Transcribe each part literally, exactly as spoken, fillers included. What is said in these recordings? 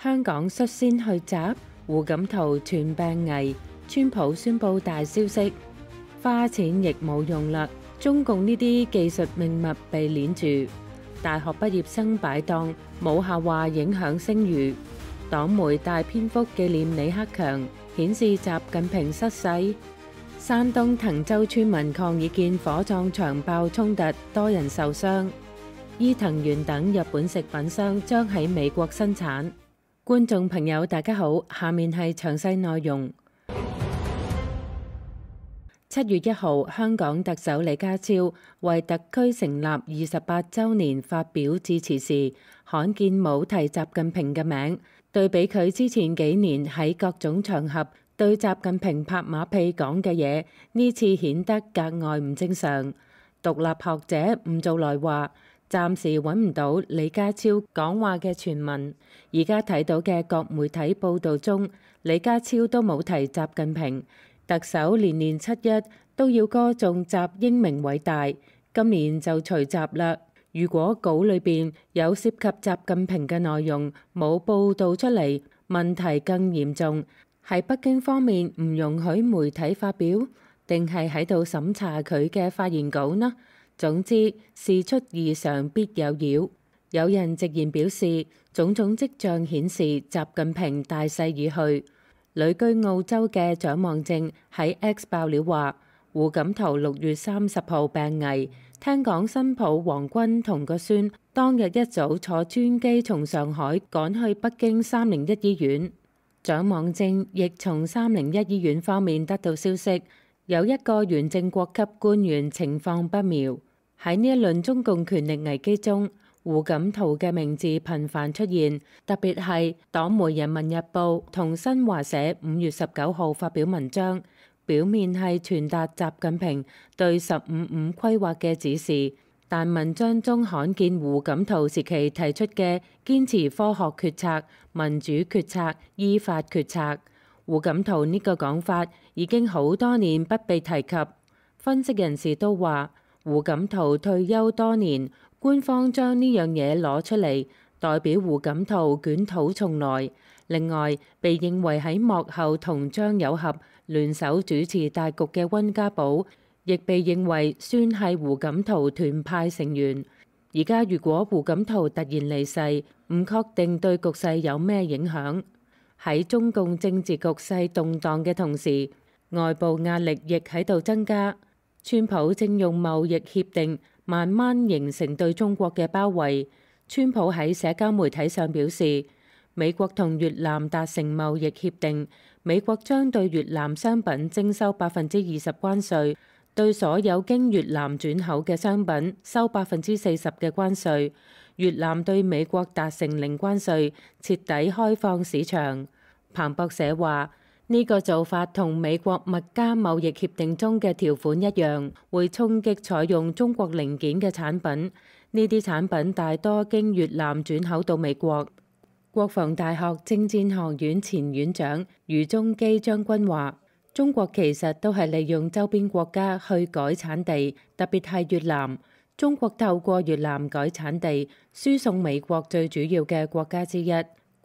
香港率先去襲，胡錦濤傳病危，川普宣布大消息，花錢亦冇用啦。中共呢啲技術命脈被鏈住，大學畢業生擺檔，冇下話影響聲譽。黨媒大篇幅紀念李克強，顯示習近平失勢。山東滕州村民抗議見火葬場爆衝突，多人受傷。伊藤園等日本食品商將喺美國生產。觀眾朋友大家好，下面係詳細內容。七月一號，香港特首李家超為特區成立二十八週年發表致辭時，罕見冇提習近平嘅名，對比佢之前幾年喺各種場合對習近平拍馬屁講嘅嘢，呢次顯得格外唔正常。獨立學者吳祖來話，暫時揾唔到李家超講話嘅傳聞，而家睇到嘅各媒體報導中，李家超都冇提習近平。特首年年七一都要歌頌習英明偉大，今年就除習啦。如果稿裏邊有涉及習近平嘅內容冇報導出嚟，問題更嚴重。係北京方面唔容許媒體發表，定係喺度審查佢嘅發言稿呢？總之事出異常必有妖。有人直言表示，種種跡象顯示習近平大勢已去。旅居澳洲嘅蔣望正喺 X 爆料話，胡錦濤六月三十號病危，聽講新抱王軍同個孫當日一早坐專機從上海趕去北京三零一醫院。蔣望正亦從三零一醫院方面得到消息，有一個原正國級官員情況不妙。喺呢一輪中共權力危機中，胡錦濤嘅名字頻繁出現，特別係黨媒《人民日報》同新華社五月十九號發表文章，表面係傳達習近平對十五五規劃嘅指示，但文章中罕見胡錦濤時期提出嘅堅持科學決策、民主決策、依法決策。胡錦濤呢個講法已經好多年不被提及。分析人士都話，胡錦濤退休多年，官方將呢樣嘢攞出嚟，代表胡錦濤捲土重來。另外，被認為喺幕後同張友合聯手主持大局嘅溫家寶，亦被認為算係胡錦濤團派成員。而家如果胡錦濤突然離世，唔確定對局勢有咩影響。喺中共政治局勢動盪嘅同時，外部壓力亦喺度增加。川普正用貿易協定慢慢形成對中國嘅包圍。川普喺社交媒體上表示，美國同越南達成貿易協定，美國將對越南商品徵收百分之二十關稅，對所有經越南轉口嘅商品收百分之四十嘅關稅。越南對美國達成零關稅，徹底開放市場。彭博社話，呢個做法同美國麥加貿易協定中嘅條款一樣，會衝擊採用中國零件嘅產品。呢啲產品大多經越南轉口到美國。國防大學政戰學院前院長余宗基將軍話，中國其實都係利用周邊國家去改產地，特別係越南。中國透過越南改產地，輸送美國最主要嘅國家之一。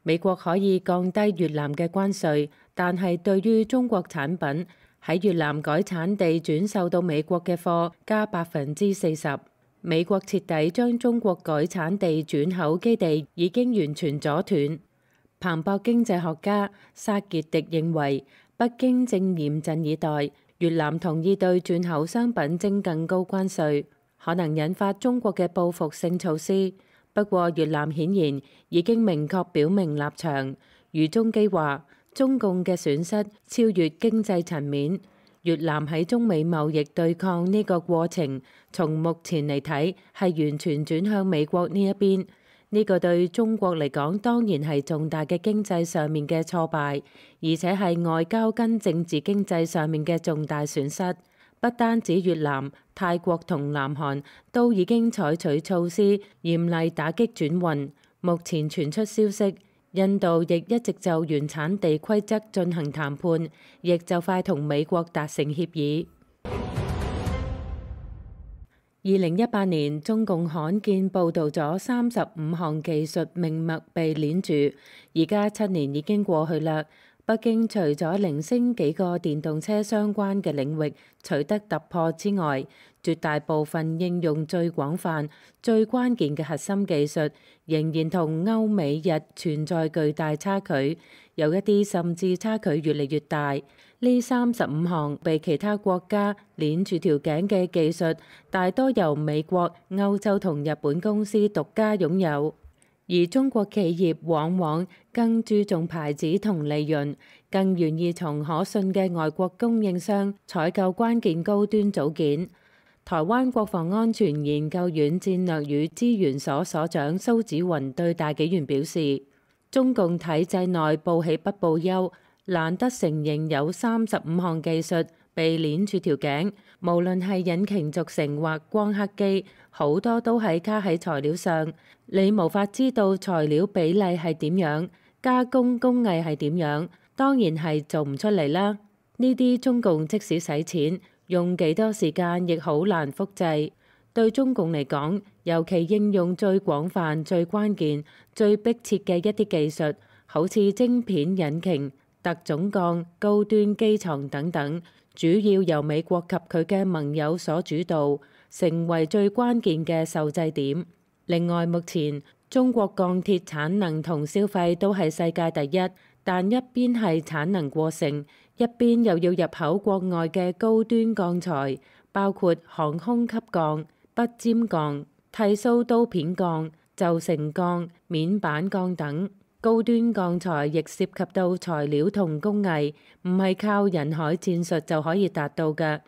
美國可以降低越南嘅關稅，但係對於中國產品喺越南改產地轉售到美國嘅貨加百分之四十。美國徹底將中國改產地轉口基地已經完全阻斷。彭博經濟學家薩傑迪認為，北京正嚴陣以待，越南同意對轉口商品徵更高關稅，可能引發中國嘅報復性措施。不過越南顯然已經明確表明立場。余宗基話，中共嘅損失超越經濟層面。越南喺中美貿易對抗呢個過程，從目前嚟睇係完全轉向美國呢一邊。呢個對中國嚟講當然係重大嘅經濟上面嘅挫敗，而且係外交跟政治經濟上面嘅重大損失。不單止越南、泰國同南韓都已經採取措施嚴厲打擊轉運。目前傳出消息，印度亦一直就原產地規則進行談判，亦就快同美國達成協議。二零一八年，中共罕見報導咗三十五項技術命脈被鏈住，而家七年已經過去啦。北京除咗零星幾個電動車相關嘅領域取得突破之外，絕大部分應用最廣泛、最關鍵嘅核心技術仍然同歐美日存在巨大差距，有一啲甚至差距越嚟越大。呢三十五項被其他國家鏈住條頸嘅技術，大多由美國、歐洲同日本公司獨家擁有，而中國企業往往更注重牌子同利潤，更願意從可信嘅外國供應商採購關鍵高端組件。台灣國防安全研究院戰略與資源所所長蘇紫雲對大紀元表示，中共體制內報喜不報憂，難得承認有三十五項技術被鏈住條頸，無論係引擎軸承或光刻機，好多都係卡喺材料上，你無法知道材料比例係點樣，加工工藝係點樣，當然係做唔出嚟啦。呢啲中共即使使錢，用幾多時間亦好難複製。對中共嚟講，尤其應用最廣泛、最關鍵、最迫切嘅一啲技術，好似晶片、引擎、特種鋼、高端機床等等，主要由美國及佢嘅盟友所主導，成為最關鍵嘅受制點。另外，目前中國鋼鐵產能同消費都係世界第一，但一邊係產能過剩，一邊又要入口國外嘅高端鋼材，包括航空級鋼、不尖鋼、剃鬚刀片鋼、就成鋼、面板鋼等。高端鋼材亦涉及到材料同工藝，唔係靠人海戰術就可以達到嘅。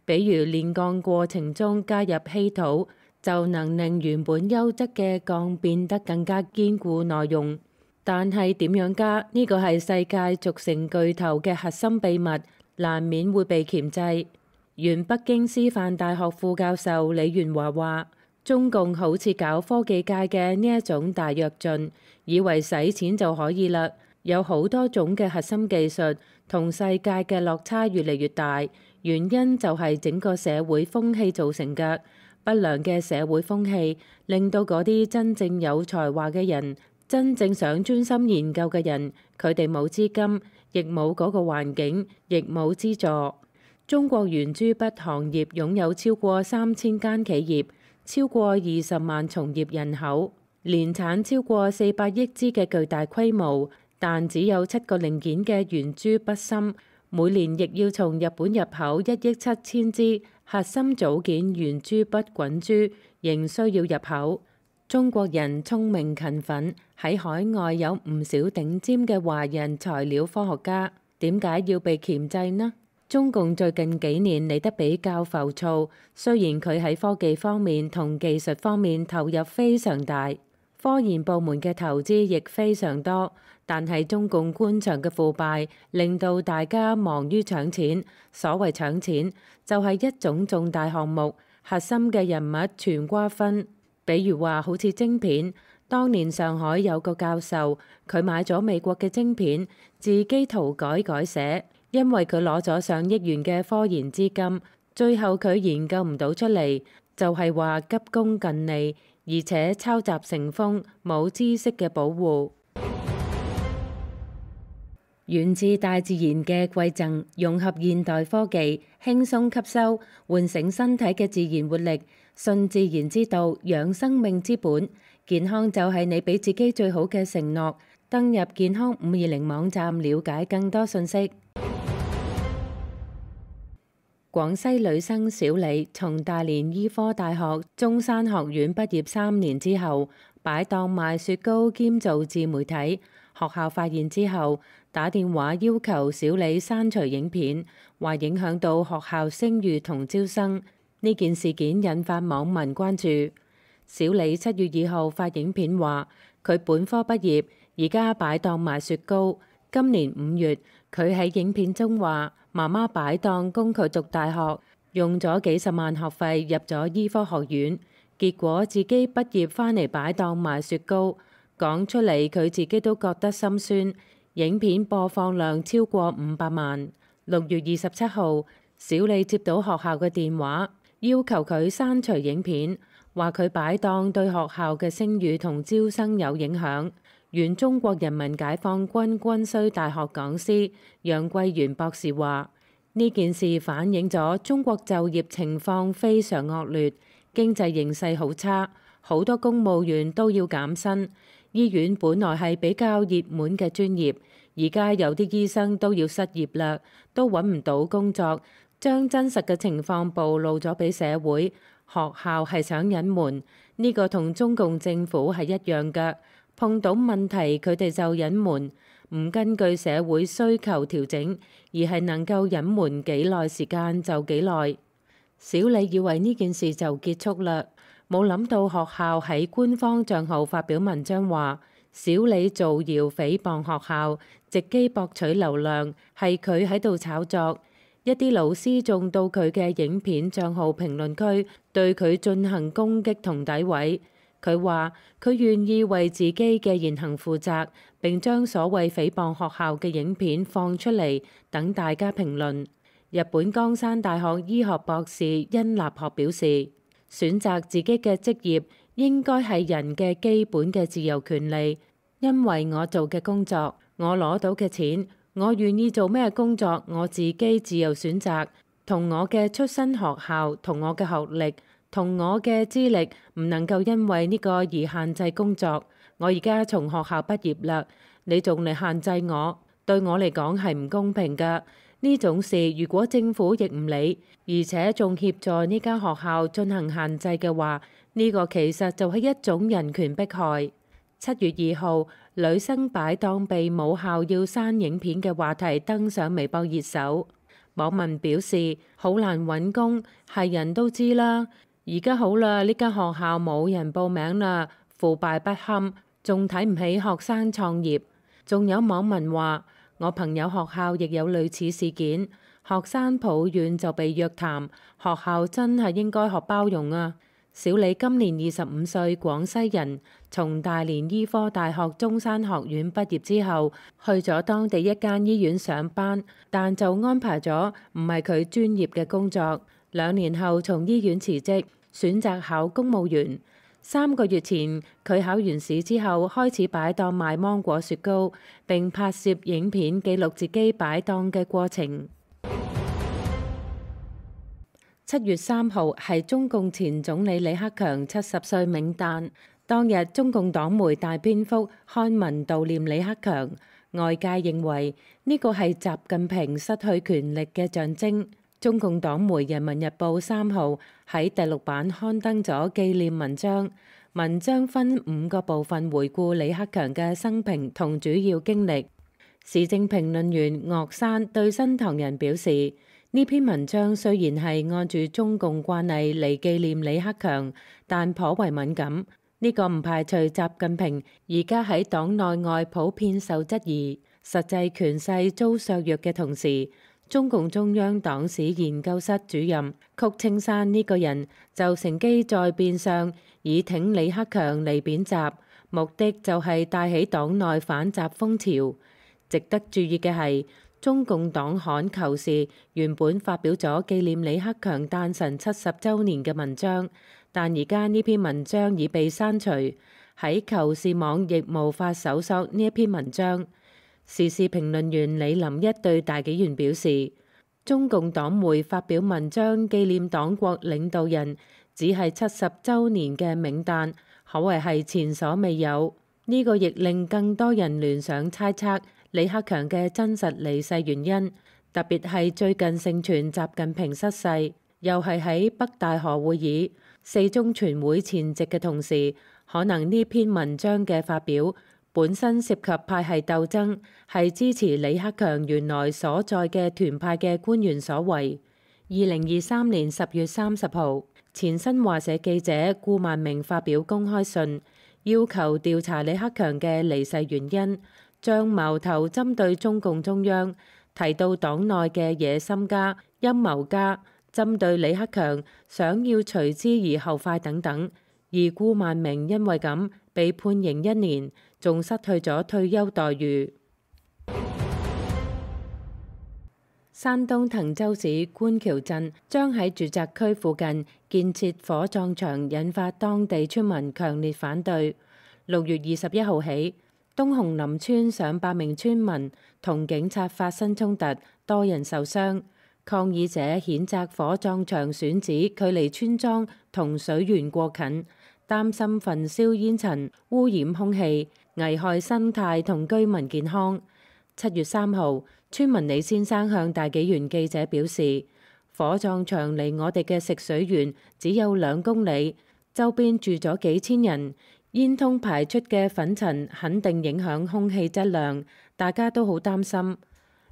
比如煉鋼過程中加入稀土，就能令原本優質嘅鋼變得更加堅固耐用。但係點樣加呢個係世界軸承巨頭嘅核心秘密，難免會被鉗制。原北京師範大學副教授李元華話，中共好似搞科技界嘅呢一種大躍進，以為使錢就可以啦。有好多種嘅核心技術同世界嘅落差越嚟越大，原因就係整個社會風氣造成嘅。不良嘅社會風氣令到嗰啲真正有才華嘅人，真正想專心研究嘅人，佢哋冇資金，亦冇嗰個環境，亦冇資助。中國圓珠筆行業擁有超過三千間企業，超過二十萬從業人口，年產超過四百億支嘅巨大規模，但只有七個零件嘅圓珠筆芯，每年亦要從日本入口一億七千支核心組件圓珠筆滾珠，仍需要入口。中國人聰明勤奮，喺海外有唔少頂尖嘅華人材料科學家，點解要被鉗制呢？中共最近幾年嚟得比較浮躁，雖然佢喺科技方面同技術方面投入非常大，科研部門嘅投資亦非常多，但係中共官場嘅腐敗令到大家忙於搶錢。所謂搶錢，就係一種重大項目核心嘅人物全瓜分。比如話好似晶片，當年上海有個教授，佢買咗美國嘅晶片，自己塗改改寫，因為佢攞咗上億元嘅科研資金，最後佢研究唔到出嚟，就係話急功近利，而且抄襲成風，冇知識嘅保護。源自大自然嘅饋贈，融合現代科技，輕鬆吸收，喚醒身體嘅自然活力，順自然之道，養生命之本。健康就係你俾自己最好嘅承諾。登入健康五二零網站了解更多信息。廣西女生小李從大連醫科大學中山學院畢業三年之後，擺檔賣雪糕兼做自媒體。學校發現之後，打電話要求小李刪除影片，話影響到學校聲譽同招生。呢件事件引發網民關注。小李七月二號發影片話，佢本科畢業，而家擺檔賣雪糕。今年五月，佢喺影片中話，媽媽擺檔供佢讀大學，用咗幾十萬學費入咗醫科學院，結果自己畢業返嚟擺檔賣雪糕。講出嚟佢自己都覺得心酸。影片播放量超過五百萬。六月二十七號，小李接到學校嘅電話，要求佢刪除影片，話佢擺檔對學校嘅聲譽同招生有影響。原中國人民解放軍軍需大學講師楊桂元博士話：呢件事反映咗中國就業情況非常惡劣，經濟形勢好差，好多公務員都要減薪。醫院本來係比較熱門嘅專業，而家有啲醫生都要失業啦，都揾唔到工作，將真實嘅情況暴露咗俾社會。學校係想隱瞞，呢個同中共政府係一樣嘅。碰到問題，佢哋就隱瞞，唔根據社會需求調整，而係能夠隱瞞幾耐時間就幾耐。小李以為呢件事就結束啦，冇諗到學校喺官方帳號發表文章話，小李造謠誹謗學校，藉機博取流量，係佢喺度炒作。一啲老師仲到佢嘅影片帳號評論區對佢進行攻擊同詆毀。佢話：佢願意為自己嘅言行負責，並將所謂誹謗學校嘅影片放出嚟，等大家評論。日本江山大學醫學博士殷立學表示：選擇自己嘅職業應該係人嘅基本嘅自由權利，因為我做嘅工作，我攞到嘅錢，我願意做咩工作，我自己自由選擇，同我嘅出身學校，同我嘅學歷，同我嘅資歷唔能夠因為呢個而限制工作。我而家從學校畢業啦，你仲嚟限制我，對我嚟講係唔公平㗎。呢種事如果政府亦唔理，而且仲協助呢間學校進行限制嘅話，呢個其實就係一種人權迫害。七月二號，女生擺檔被母校要刪影片嘅話題登上微博熱搜，網民表示好難揾工，係人都知啦。而家好啦，呢間學校冇人報名啦，腐敗不堪，仲睇唔起學生創業。仲有網民話：我朋友學校亦有類似事件，學生抱怨就被約談，學校真係應該學包容啊！小李今年二十五歲，廣西人，從大連醫科大學中山學院畢業之後，去咗當地一間醫院上班，但就安排咗唔係佢專業嘅工作。兩年後從醫院辭職，選擇考公務員。三個月前，佢考完試之後開始擺檔賣芒果雪糕，並拍攝影片記錄自己擺檔嘅過程。七月三號係中共前總理李克強七十歲冥誕，當日中共黨媒大篇幅刊文悼念李克強，外界認為呢個係習近平失去權力嘅象徵。中共黨媒《人民日報》三號喺第六版刊登咗紀念文章，文章分五個部分回顧李克強嘅生平同主要經歷。時政評論員岳山對新唐人表示，呢篇文章雖然係按住中共慣例嚟紀念李克強，但頗為敏感。呢個唔排除習近平而家喺黨內外普遍受質疑，實際權勢遭削弱嘅同時，中共中央黨史研究室主任曲青山呢個人就乘機在變相以挺李克強嚟貶習，目的就係帶起黨內反習風潮。值得注意嘅係，中共黨刊《求是》原本發表咗紀念李克強誕辰七十週年嘅文章，但而家呢篇文章已被刪除，喺《求是》網亦無法搜索呢一篇文章。時事評論員李林一對大紀元表示，中共黨媒發表文章紀念黨國領導人，只係七十週年嘅冥誕，可謂係前所未有。呢、這個亦令更多人聯想猜測李克強嘅真實離世原因，特別係最近盛傳習近平失勢，又係喺北戴河會議、四中全會前夕嘅同時，可能呢篇文章嘅發表本身涉及派系鬥爭，係支持李克強原來所在嘅團派嘅官員所為。二零二三年十月三十號，前新華社記者顧萬明發表公開信，要求調查李克強嘅離世原因，將矛頭針對中共中央，提到黨內嘅野心家、陰謀家，針對李克強想要隨之而後快等等。而顧萬明因為咁被判刑一年，仲失去咗退休待遇。山東滕州市觀橋鎮將喺住宅區附近建設火葬場，引發當地村民強烈反對。六月二十一號起，東紅林村上百名村民同警察發生衝突，多人受傷。抗議者譴責火葬場選址距離村莊同水源過近，擔心焚燒煙塵污染空氣，危害生態同居民健康。七月三號，村民李先生向大紀元記者表示，火葬場離我哋嘅食水源只有兩公里，周邊住咗幾千人，煙囪排出嘅粉塵肯定影響空氣質量，大家都好擔心。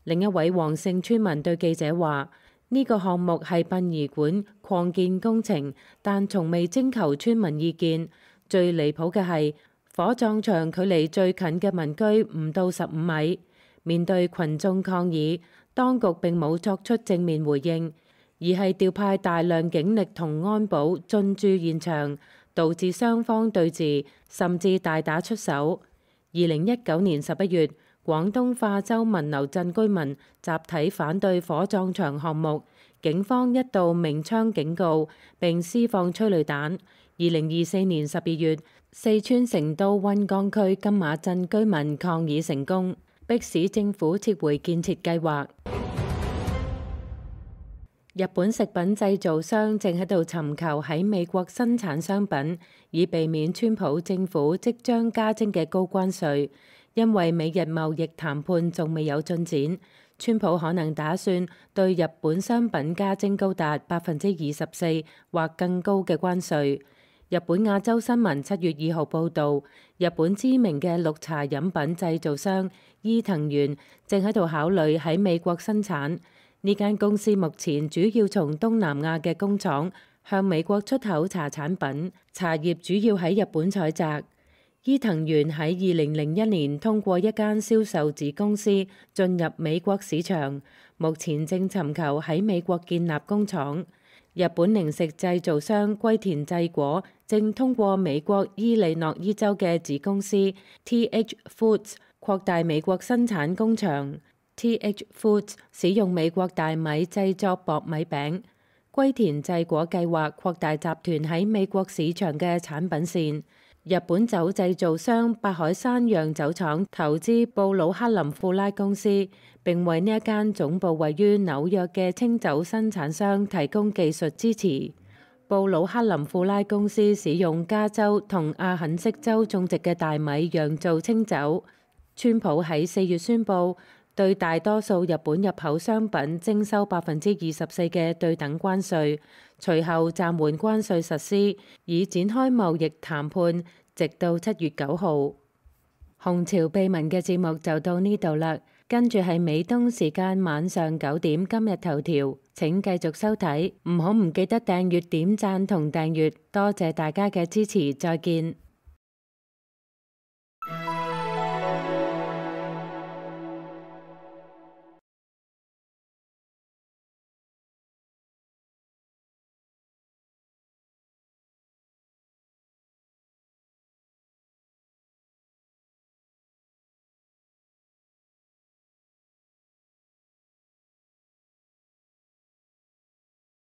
另一位黃姓村民對記者話：呢個項目係殯儀館擴建工程，但從未徵求村民意見。最離譜嘅係，火葬場距離最近嘅民居唔到十五米。面對群眾抗議，當局並冇作出正面回應，而係調派大量警力同安保進駐現場，導致雙方對峙，甚至大打出手。二零一九年十一月，廣東化州文流鎮居民集體反對火葬場項目，警方一度鳴槍警告並施放催淚彈。二零二四年十二月，四川成都溫江區金馬鎮居民抗議成功，迫使政府撤回建設計劃。日本食品製造商正喺度尋求喺美國生產商品，以避免川普政府即將加徵嘅高關稅。因為美日貿易談判仲未有進展，川普可能打算對日本商品加徵高達百分之二十四或更高嘅關稅。日本亞洲新聞七月二號報導，日本知名嘅綠茶飲品製造商伊藤園正喺度考慮喺美國生產。呢間公司目前主要從東南亞嘅工廠向美國出口茶產品，茶葉主要喺日本採摘。伊藤園喺二零零一年通過一間銷售子公司進入美國市場，目前正尋求喺美國建立工廠。日本零食製造商龜田製果正通過美國伊利諾伊州嘅子公司 T H Foods 擴大美國生產工場。T H Foods 使用美國大米製作薄米餅。龜田製果計劃擴大集團喺美國市場嘅產品線。日本酒製造商八海山釀酒廠投資布魯克林富拉公司，並為呢一間總部位於紐約嘅清酒生產商提供技術支持。布魯克林富拉公司使用加州同阿肯色州種植嘅大米釀造清酒。川普喺四月宣布對大多數日本入口商品徵收百分之二十四嘅對等關稅，隨後暫緩關稅實施，以展開貿易談判，直到七月九號。紅潮秘聞嘅節目就到呢度啦，跟住係美東時間晚上九點今日頭條，請繼續收睇，唔好唔記得訂閱、點讚同訂閱，多謝大家嘅支持，再見。